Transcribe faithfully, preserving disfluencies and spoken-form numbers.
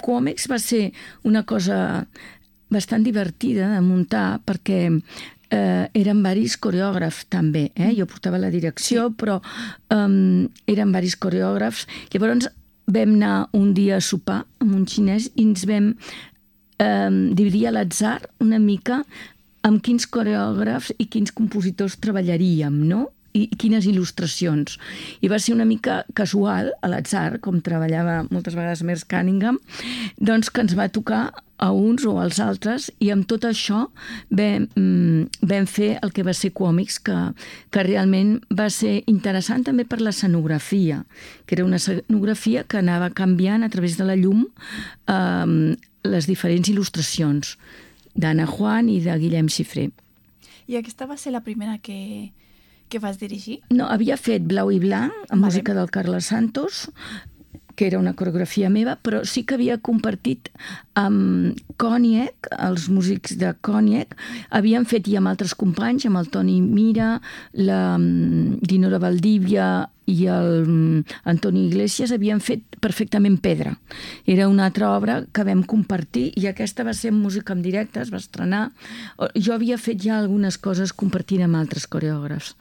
Quòmex va ser una cosa bastant divertida de muntar perquè eh, eren varis coreògrafs també, eh? Jo portava la direcció, sí. però um, eren varis coreògrafs. Llavors vam anar un dia a sopar amb un xinès i ens vam eh, dividir a l'atzar una mica amb quins coreògrafs i quins compositors treballaríem, no? I quines il·lustracions. I va ser una mica casual, a l'atzar, com treballava moltes vegades Merce Cunningham, doncs que ens va tocar a uns o als altres, i amb tot això vam, vam fer el que va ser Quòmics, que, que realment va ser interessant també per l'escenografia, que era una escenografia que anava canviant a través de la llum eh, les diferents il·lustracions d'Anna Juan i de Guillem Xifré. I aquesta va ser la primera que... que vas dirigir? No, havia fet Blau i Blanc, amb vale. música del Carles Santos, que era una coreografia meva, però sí que havia compartit amb Còniac, els músics de Còniac, havien fet i amb altres companys, amb el Toni Mira, la Dinora Valdívia i el Antoni Iglesias, havien fet perfectament Pedra. Era una altra obra que vam compartir i aquesta va ser música en directe, es va estrenar. Jo havia fet ja algunes coses compartint amb altres coreògrafs.